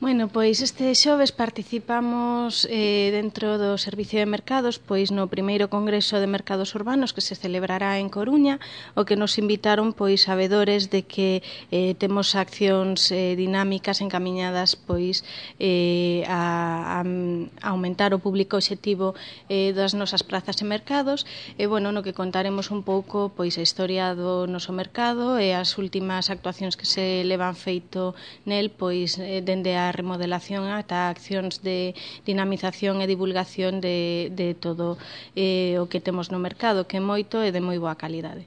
Bueno, pois este xoves participamos dentro do Servicio de Mercados pois no primeiro Congreso de Mercados Urbanos que se celebrará en Coruña, o que nos invitaron pois sabedores de que temos accións dinámicas encamiñadas pois a aumentar o público obxectivo das nosas prazas e mercados, e bueno, no que contaremos un pouco pois a historia do noso mercado e as últimas actuacións que se levan feito nel pois dende a remodelación ata accións de dinamización e divulgación de todo o que temos no mercado, que é moito e de moi boa calidade.